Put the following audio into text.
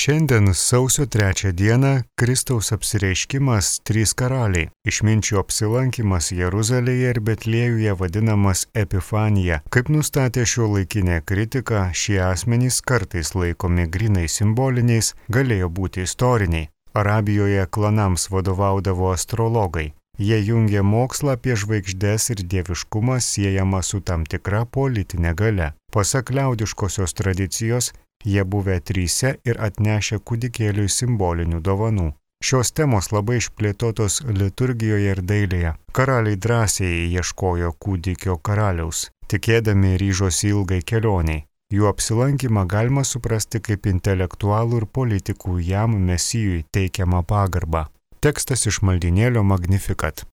Šiandien sausio 3 dieną Kristaus apsireiškimas trys karaliai. Išminčių apsilankimas Jeruzalėje ir Betliejuje vadinamas Epifanija. Kaip nustatė šiuolaikinė kritika, šie asmenys kartais laikomi grinai simboliniais, galėjo būti istoriniai. Arabijoje klanams vadovaudavo astrologai. Jie jungė mokslą apie žvaigždes ir dieviškumą siejamą su tam tikra politinė galia. Pasak liaudiškosios tradicijos, jie buvę tryse ir atnešę kūdikėliui simbolinių dovanų. Šios temos labai išplėtotos liturgijoje ir dailėje. Karaliai drąsiai ieškojo kūdikio karaliaus, tikėdami ryžosi ilgai kelioniai. Jų apsilankymą galima suprasti kaip intelektualų ir politikų jam mesijui teikiamą pagarbą. Tekstas iš maldynėlio Magnificat.